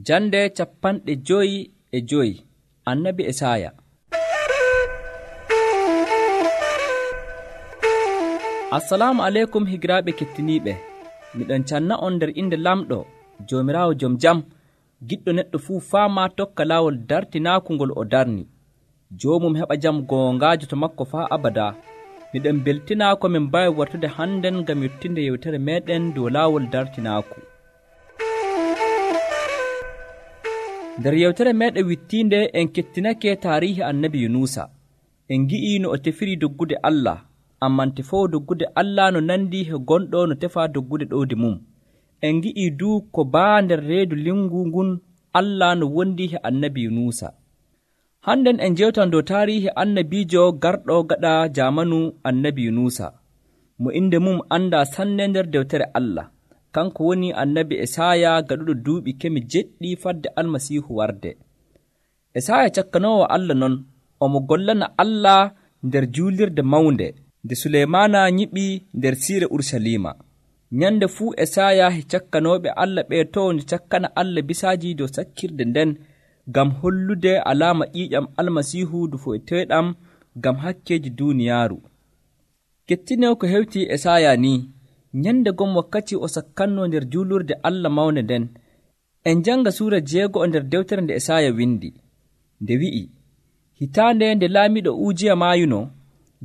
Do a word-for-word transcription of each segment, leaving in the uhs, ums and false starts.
Jande capanɗe joyi e joyi Annabi Esaya. Assalamu aleykum higiraaɓe kettiniiɓe. Miɗon canna on nder inde lamɗo Joomiraawo jom jam, giɗɗo neɗɗo fuu faama tokka laawol dartinaaku ngol o darni. Joomum heɓa jam goongaajo to makko faa abada. Miɗen beltinaa ko min mbawi wartude hannden ngam yettinde yewtere meeɗen dow laawol dartinaaku. Nder yewtere meeɗen wittiinde en kettinake taarihi annabi Yunusa. En ngi'ii no o tefiri doggude Allah, amman tefoowo doggude Allah no nandi he gonɗo no tefaa doggude ɗowdi mum. En ngi'ii duu ko baa nder reedu lingu ngun Allah no wondi he annabi Yunusa. Hannden en jewtan dow taarihi annabiijo garɗo gaɗa jaamanu annabi Yunusa, mo inde mum andaa sanne nder dewtere Allah. Kanko woni annabi Esaya gaɗuɗo duuɓi kemi jeɗɗi fadde almasiihu warde. Esaya cakkanoowo Allah non, omo gollana Allah nder juulirde mawnde nde Suleymaana nyiɓi nder siire Urusalima. Nyande fuu Esaya he cakkanooɓe Allah ɓe to nde cakkana Allah bisaaji dow sakkirde nden ngam hollude alaama ƴiiƴam almasiihu du foyteeɗam ngam hakkeeji duuniyaaru. Kettinee ko hewti Esaya ni, nyande gom wakkati o sakkannoo nder juulurde Allah mawnde nden, en janga suura jeego nder dewtere nde Esaya windi, nde wi'i, hitaande nde laamiɗo Ujiya maayuno,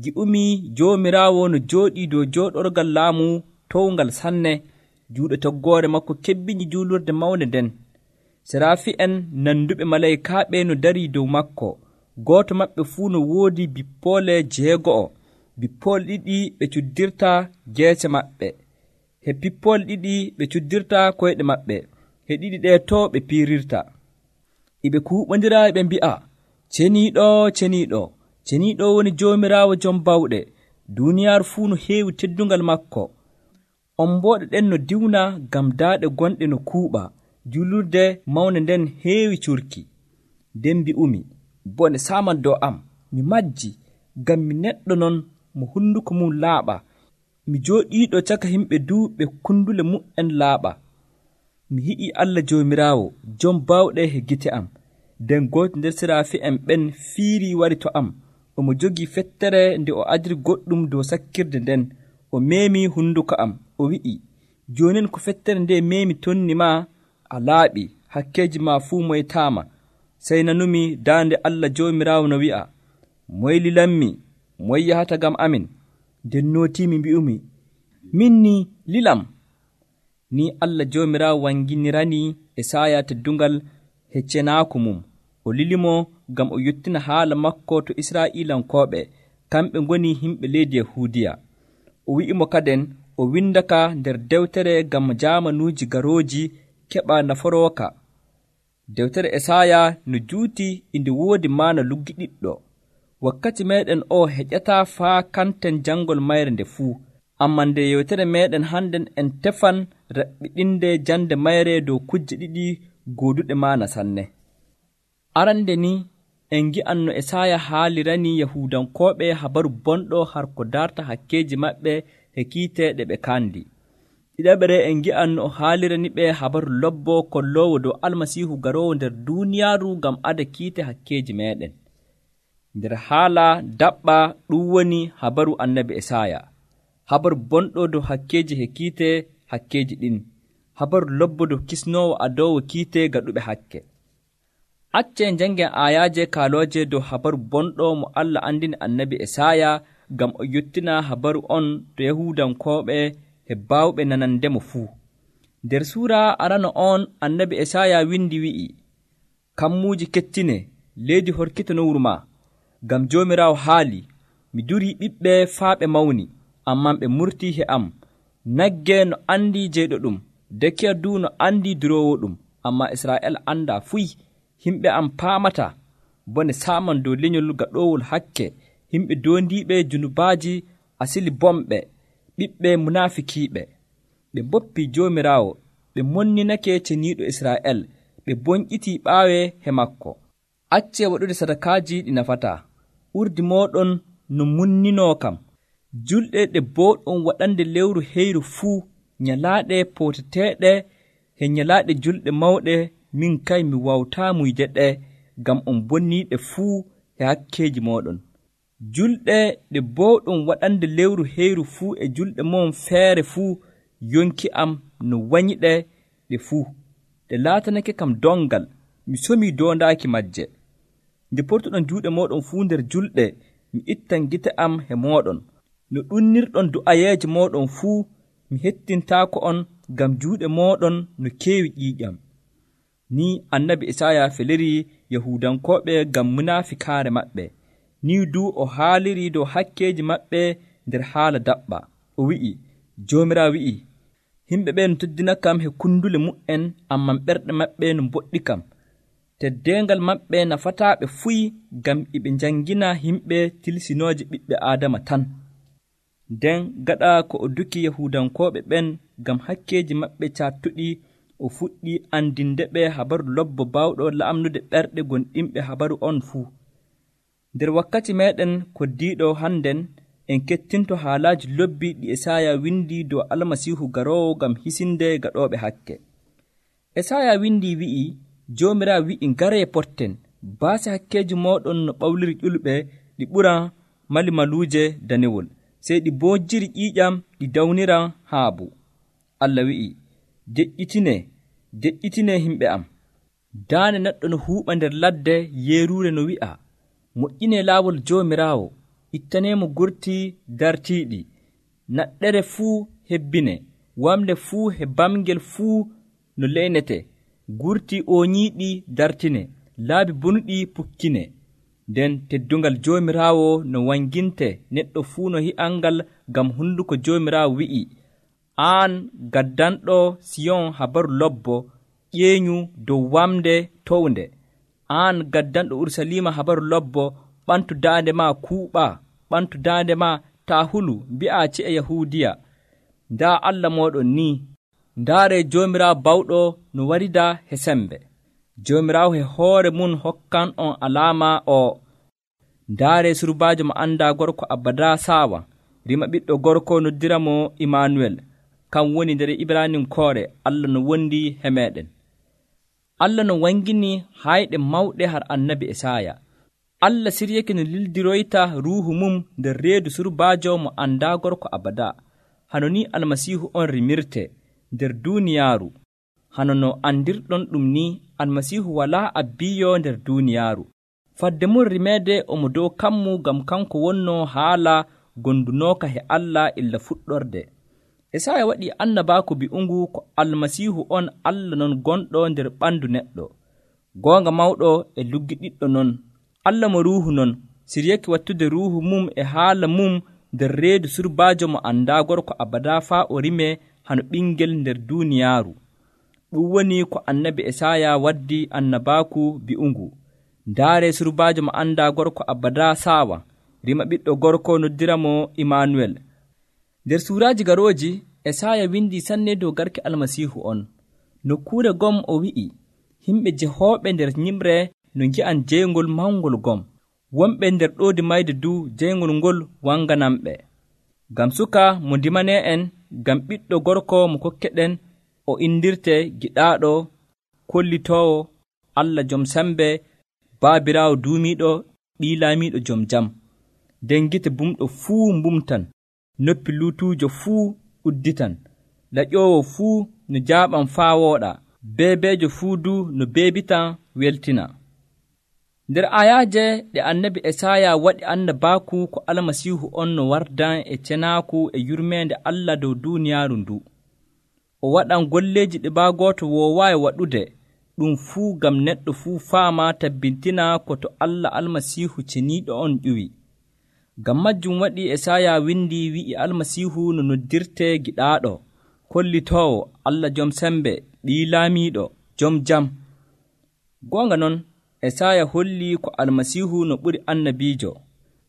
gi'umii Joomiraawo no jooɗii dow jooɗorgal laamu towngal sanne, juuɗe toggoore makko kebbini juulurde mawnde nden. Seraafi'en nanduɓe malaykaaɓe no darii dow makko, gooto maɓɓe fuu no woodi bippoole jeego'o, bippoole ɗiɗi ɓe cuddirta geese maɓɓe, he bippoole ɗiɗi ɓe cuddirta koyɗe maɓɓe, he ɗiɗi ɗee to ɓe piirirta. Iɓe kuuɓondira ɓe mbi'a, ceniiɗo, ceniiɗo, ceniiɗo woni Joomiraawo jom bawɗe, duuniyaaru fuu no heewi teddungal makko. Ombooɗe ɗen no diwna ngam daaɗe gonɗe no kuuɓa, juulurde mawnde nden heewi curki. Nden mbi'umi, bone saaman dow am, mi majji, ngam mi neɗɗo non mo hunduko mum laaɓa, mi jooɗiiɗo caka himɓe duuɓe kundule mu'en laaɓa. Mi yi'ii Allah Joomiraawo jom bawɗe he gite am. Nden gooto nder seraafi'en ɓen fiirii wari to am, omo jogii fettere nde o adiri goɗɗum dow sakkirde nden, o meemi hunduko am, o wi'i, joonin ko fettere nde meemi tonni ma, a laaɓi, hakkeeji ma fuu moytaama. Sey nanumi daande Allah Joomiraawo no wi'a, moy lilanmi, moy yahata gam amin? Nden nootiimi mbi'umi, min ni lilam. Ni Allah Joomiraawo wanginirani Esaya teddungal heccenaaku mum. O lilimo ngam o yottina haala makko to Israa'iilankooɓe, kamɓe ngoni himɓe leydi Yahuudiya. O wi'imo kaden o windaka nder dewtere ngam jaamanuuji garooji keɓa naforooka. Dewtere Esaya no juuti inde woodi maana luggiɗiɗɗo. Wakkati meeɗen o heƴataa faa kanten janngol mayre nde fuu, amman nde yewtere meeɗen hannden en tefan raɓɓiɗinde jande mayre dow kujje ɗiɗi gooduɗe maana sanne. Arande ni en ngi'an no Esaya haalirani Yahuudankooɓe habaru bonɗo har ko darta hakkeeji maɓɓe he kiite ɗe ɓe kaandi. Ɗiɗaɓere en ngi'an no o haalirani ɓe habaru lobbo kolloowo dow almasiihu garoowo nder duuniyaaru ngam ada kiite hakkeeji meeɗen. Nder haala daɓɓa ɗum woni habaru annabi Esaya, habaru bonɗo dow hakkeeji he kiite hakkeeji ɗin, habaru lobbo dow kisnoowo adoowo kiite gaɗuɓe hakke. Accen janngen aayaaje kaalooje dow habaru bonɗo mo Allah andini annabi Esaya ngam o yottina habaru on to Yahuudankooɓe he baawɓe nanandemo fuu. Nder suura arano on annabi Esaya windi wi'i, kammuuji kettine, leydi horkita no wuro ma, ngam Joomiraawo haali, mi durii ɓiɓɓe faa ɓe mawni, amman ɓe murtii he am. Nagge no andi jeyɗo ɗum, dekiya du no andi duroowo ɗum, amma Israa'el andaa fuy. Himɓe am paamata, bone saaman dow lenyol gaɗoowol hakke, himɓe doondiiɓe junubaaji asili bomɓe, ɓiɓɓe munaafikiiɓe. Ɓe mboppi Joomiraawo, ɓe monninake ceniiɗo Israa'el, ɓe bonƴitii ɓaawe he makko. Accee waɗude sadakaaji ɗi nafataa, urdi mooɗon no munninoo kam. Julɗe ɗe booɗon waɗande lewru heyru fuu, nyalaaɗe pooteteeɗe he nyalaaɗe julɗe mawɗe min kay mi wawtaa muyde ɗe, ngam on bonniiɗe fuu e hakkeeji mooɗon. Julɗe ɗe boowɗon waɗande lewru heyru fuu e julɗe mon feere fuu yonki am no wañiɗe ɗe fuu. Ɗe laatanake kam dongal, mi somii doondaaki majje. Nde portuɗon juuɗe mooɗon fuu nder julɗe, mi ittan gite am he mooɗon. No ɗunnirɗon du'ayeeje mooɗon fuu, mi hettintaako on ngam juuɗe mooɗon no keewi ƴiiƴam. Ni annabi Isaaya feliri Yahuudankooɓe ngam munaafiqaare maɓɓe. Ni du o haaliri dow hakkeeji maɓɓe nder haala daɓɓa. O wi'i, Joomiraawo wi'i, yimɓe ɓe no teddina kam he kundule mu'en, amman ɓerɗe maɓɓe no mboɗɗi kam. Teddeengal maɓɓe nafataaɓe fuyi, ngam iɓe njangina yimɓe tilsinooje ɓiɓɓe Aadama tan. Nden gaɗa ko o duki Yahuudankooɓe ɓen ngam hakkeeji maɓɓe caattuɗi, o fuɗɗi andinde ɓe habaru lobbo baawɗo la'amnude ɓerɗe gonɗinɓe habaru on fuu. Nder wakkati meeɗen koddiiɗo hannden, en kettinto haalaaji lobbi ɗi Esaaya windi dow Almasiihu garoowo ngam hisinde gaɗooɓe hakke. Esaaya windi wi'i, Joomiraawo wi'i, ngaree porten, baase hakkeeji mooɗon no ɓawliri ƴulɓe, ɗi ɓuran malimaluuje danewol, sey ɗi boojjiri ƴiiƴam, ɗi dawniran haabu. Allah wi'i, deƴƴitinee, deƴƴitinee himɓe am. Daande neɗɗo no huuɓa nder ladde yeeruure no wi'a, moƴƴinee laawol Joomiraawo, ittaneemo gurti dartiiɗi, naɗɗere fuu hebbine, wamle fuu he bamgel fuu no leynete, gurti ooñiiɗi dartine, laabi bonuɗi pukkine. Nden teddungal Joomiraawo no wanginte neɗɗo fuu no hi'angal, ngam hunduko Joomiraawo wi'i, aan gaddanɗo Siyon habaru lobbo, ƴeeñu dow wamde townde. Aan gaddanɗo Urusalima habaru lobbo, ɓantu daande maa kuuɓaa, ɓantu daande maa taa hulu, mbi'aa ci'e Yahuudiya, ndaa Allah mooɗon ni. Ndaaree Joomiraawo bawɗo no warida he sembe. Joomiraawo he hoore mum hokkan on alaama o. Ndaaree surbaajo mo anndaa gorko abada saawa, rima ɓiɗɗo gorko noddira mo Imanuwel, kam woni nder Ibraninkoore Allah no wondi he meeɗen. Allah no wangini hayɗe mawɗe har annabi Esaaya. Allah siryake no lildiroyta ruuhu mum nder reedu surbaajo mo anndaa gorko abada, hano ni Almasiihu on rimirte nder duuniyaaru. Hano no andirɗon ɗum ni, Almasiihu walaa abbiyo nder duuniyaaru. Fadde mum rimeede omo dow kammu, ngam kanko wonno haala gondunooka he Allah illa fuɗɗorde. Esaaya waɗi annabaaku bi'ungu ko Almasiihu on Allah non gonɗo nder ɓandu neɗɗo. Goonga mawɗo e luggiɗiɗɗo non. Allah mo ruuhu non, siryake wattude ruuhu mum e haala mum nder reedu surbaajo mo anndaa gorko abada faa o rime hano ɓingel nder duuniyaaru. Ɗum woni ko annabi Esaaya waddi annabaaku bi'ungu. Ndaaree surbaajo mo anndaa gorko abada saawa, rima ɓiɗɗo gorko noddira mo Imanuwel. Nder suuraaji garooji, Esaaya windi sanne dow garke Almasiihu on. Nokkuure gom o wi'i, yimɓe jehooɓe nder nyimre no ngi'an jeyngol mawngol gom, wonɓe nder ɗoodi mayde du jeyngol ngol wanganamɓe. Ngam suka mo ndimanee en, ngam ɓiɗɗo gorko mo kokkeɗen, o indirte giɗaaɗo, kollitoowo, Allah jom sembe, baabiraawo duumiiɗo, ɓii laamiiɗo jom jam. Nden gite bumɗo fuu mbumtan, noppi luutuujo fuu udditan, laƴoowo fuu no jaaɓan faa wooɗa, beebeejo fuu du no beebitan weltina. Nder ayaaje ɗe annabi Esaaya waɗi annabaaku ko Almasiihu on no wardan e cenaaku e yurmeende Allah dow duuniyaaru ndu. O waɗan golleeji ɗi baa gooto woowaayi waɗude, ɗum fuu ngam neɗɗo fuu faama tabbintina ko to Allah Almasiihu ceniiɗo on ƴuwi. Ngam majjum waɗi Esaaya windi wi'i Almasiihu no noddirte giɗaaɗo, kollitoowo, Allah jom sembe, ɓii laamiiɗo, jom jam. Goonga non, Esaaya holli ko Almasiihu no ɓuri annabiijo.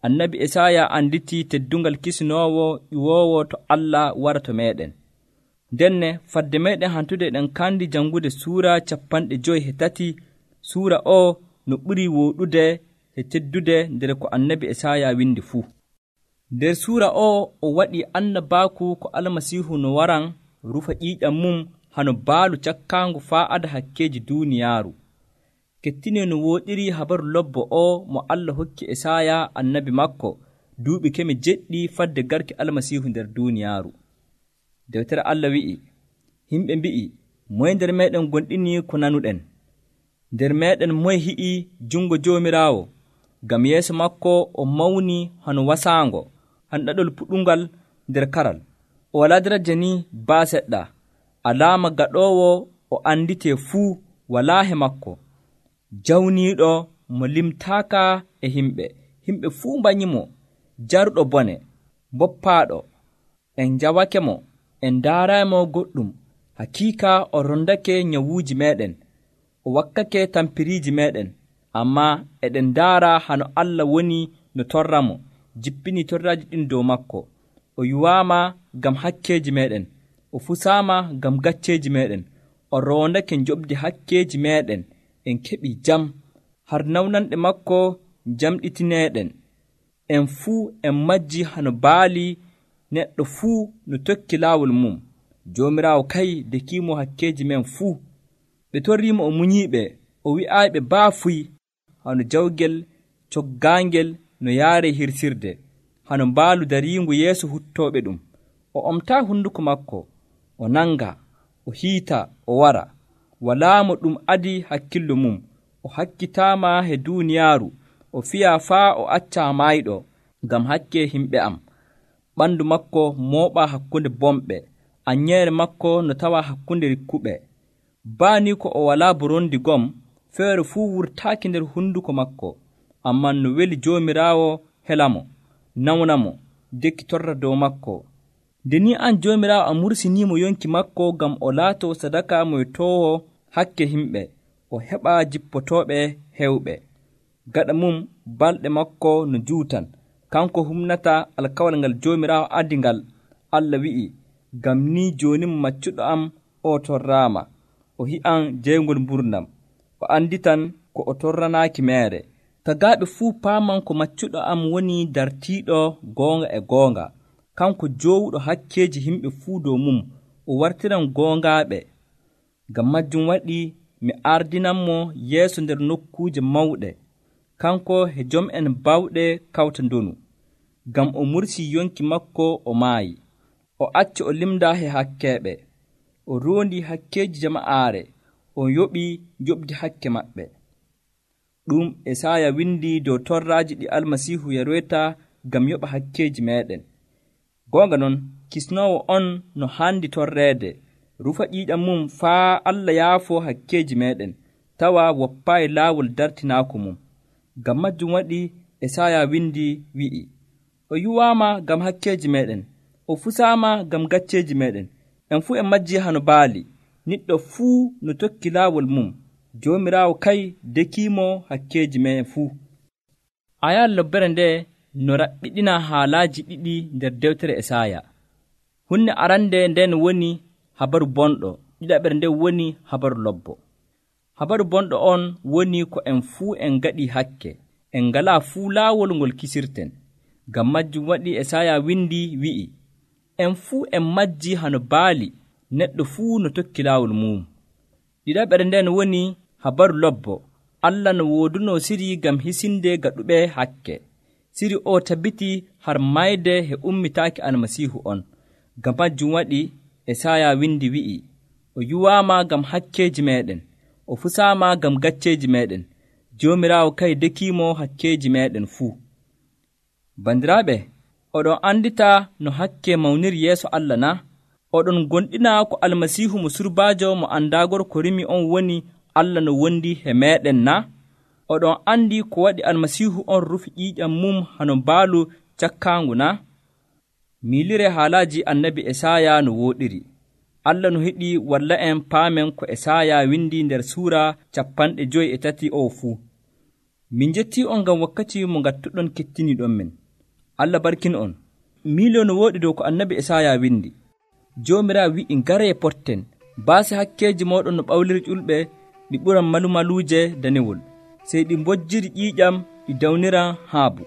Annabi Esaaya anditi teddungal kisinoowo ƴuwoowo to Allah wara to meeɗen. Ndenne fadde meeɗen hantude ɗen kandi jangude suura capanɗe joyi he tati. Suura o no ɓuri wooɗude e teddude nder ko annabi Esaaya windi fuu. Nder suura o o waɗi annabaaku ko Almasiihu no waran rufa ƴiiƴam mum hano baalu cakkaangu faa ada hakkeeji duuniyaaru. Kettine no wooɗiri habaru lobbo o mo Allah hokki Esaya annabi makko duuɓi keme jeɗɗi fadde garki Almasiihu nder duuniyaaru. Dewtere Allah wi'i, himɓe mbi'i, moye nder meeɗen gonɗini ko nanuɗen? Nder meeɗen moye hi'i jungo Joomiraawo? Ngam yeeso makko o mawni hano wasaango, hano ɗaɗol puɗungal nder karal. O walaa daraja ni baa seɗɗa. Alaama gaɗoowo o anditee fuu walaa he makko. Jawniiɗo mo limtaaka e himɓe. Himɓe fuu mbanyimo. Jaruɗo bone, boppaaɗo. En njawake mo, en ndaaraymo goɗɗum. Hakiika o rondake nyawuuji meeɗen. O wakkake tampiriiji meeɗen. Ammaa eɗen ndaara hano Allah woni no torramo, jippini torraaji ɗin dow makko. O yuwaama ngam hakkeeji meeɗen. O fusaama ngam gacceeji meeɗen. O roondake njoɓdi hakkeeji meeɗen. En keɓii jam. Har nawnanɗe makko jamɗitineeɗen. En fuu en majji hano baali, neɗɗo fuu no tokki laawol mum. Joomiraawo kay dekiimo hakkeeji men fuu. Ɓe torriimo o munyiiɓe, o wi'aayiɓe baafuy, hano jawgel coggaangel no yaare hirsirde, hano mbaalu dariingu yeeso huttooɓe ɗum. O omtaa hunduko makko, o nanga, o hiita, o wara. Walaa mo ɗum adi hakkillo mum. O hakkitaama he duuniyaaru. O fiyaa faa o accaa maayɗo ngam hakke himɓe am. Ɓandu makko mooɓaa hakkunde bomɓe. Anyeere makko no tawa hakkunde rikkuɓe. Baani ko o walaa borondi gom, feere fuu wurtaaki nder hunduko makko. Amman no weli Joomiraawo helamo, nawnamo, dekki torra dow makko. Nde ni an Joomiraawo a mursiniimo yonki makko ngam o laatoo sadaka moytoowo hakke himɓe, o heɓa jippotooɓe hewɓe. Gaɗa mum balɗe makko no juutan, kanko humnata alkawal ngal Joomiraawo addi ngal. Allah wi'i, ngam ni jooni mo maccuɗo am o torraama, o hi'an jeygol mburnam, o anditan ko o torranaaki meere. Tagaaɓe fuu paaman ko maccuɗo am woni dartiiɗo goonga e goonga, kanko joowuɗo hakkeeji himɓe fuu dow mum, o wartiran goongaaɓe. Ngam majjum waɗi mi ardinanmo yeeso nder nokkuuje mawɗe, kanko he jom'en bawɗe kawta ndonu. Ngam o mursii yonki makko o maayi, o acci o limda he hakkeeɓe, o roondi hakkeeji jama'aare, o yoɓi joɓdi hakke maɓɓe. Ɗum Esaya windi dow torraaji ɗi Almasiihu yaroyta ngam yoɓa hakkeeji meeɗen. Goonga non, kisnoowo on no haandi torreede, rufa ƴiiƴam mum faa Allah yaafoo hakkeeji meeɗen, tawa woppaayi laawol dartinaako mum. Ngam majjum waɗi Esaya windi wi'i, o yuwaama ngam hakkeeji meeɗen, o fusaama ngam gacceeji meeɗen. En fuu en majji hano baali, niɗɗo fuu no tokki laawol mum. Joomiraawo kay dekiimo hakkeeji me'en fuu. Ayal lobbere nde no raɓɓiɗina haalaaji ɗiɗi nder dewtere Esaya. Hunde arande nden woni habaru bonɗo, ɗiɗaɓere nde woni habaru lobbo. Habaru bonɗo on woni ko en fuu en gaɗi hakke, en ngalaa fuu laawol ngol kisirten. Ngam majjum waɗi Esaya windi wi'i, en fuu en majji hano baali, neɗɗo fuu no tokki laawol mum. Ɗiɗaɓere nden woni habaru lobbo. Allah no wooduno siri ngam hisinde gaɗuɓe hakke. Siri o tabbiti har mayde he ummitaaki Almasiihu on. Ngam majjum waɗi Esaya windi wi'i, o yuwaama ngam hakkeeji meeɗen, o fusaama ngam gacceeji meeɗen. Joomiraawo kay dekiimo hakkeeji meeɗen fuu. Bandiraaɓe, oɗon andita no hakke mawniri yeeso Allah na? Oɗon gonɗina ko Almasiihu mo surbaajo mo andaagor ko rimi on woni Allah no wondi he meeɗen na? Oɗon andi ko waɗi Almasiihu on rufi ƴiiƴam mum hano mbaalu cakkaangu na? Miilire haalaaji annabi Esaya no wooɗiri. Allah no heɗi walla en paamen ko Esaya windi nder suura capanɗe joyi e tati o fuu. Min jetti on ngam wakkati mo ngattuɗon kettiniɗon men. Allah barkin on. Miilo no wooɗi dow ko annabi Esaya windi. Joomiraawo wi'i ngaree potten, baasi hakkeeji mooɗon no ɓawliri ƴulɓe, ɗi ɓuran malumaluuje danewol, sey ɗi mbojjiri ƴiiƴam ɗi dawniran haabu.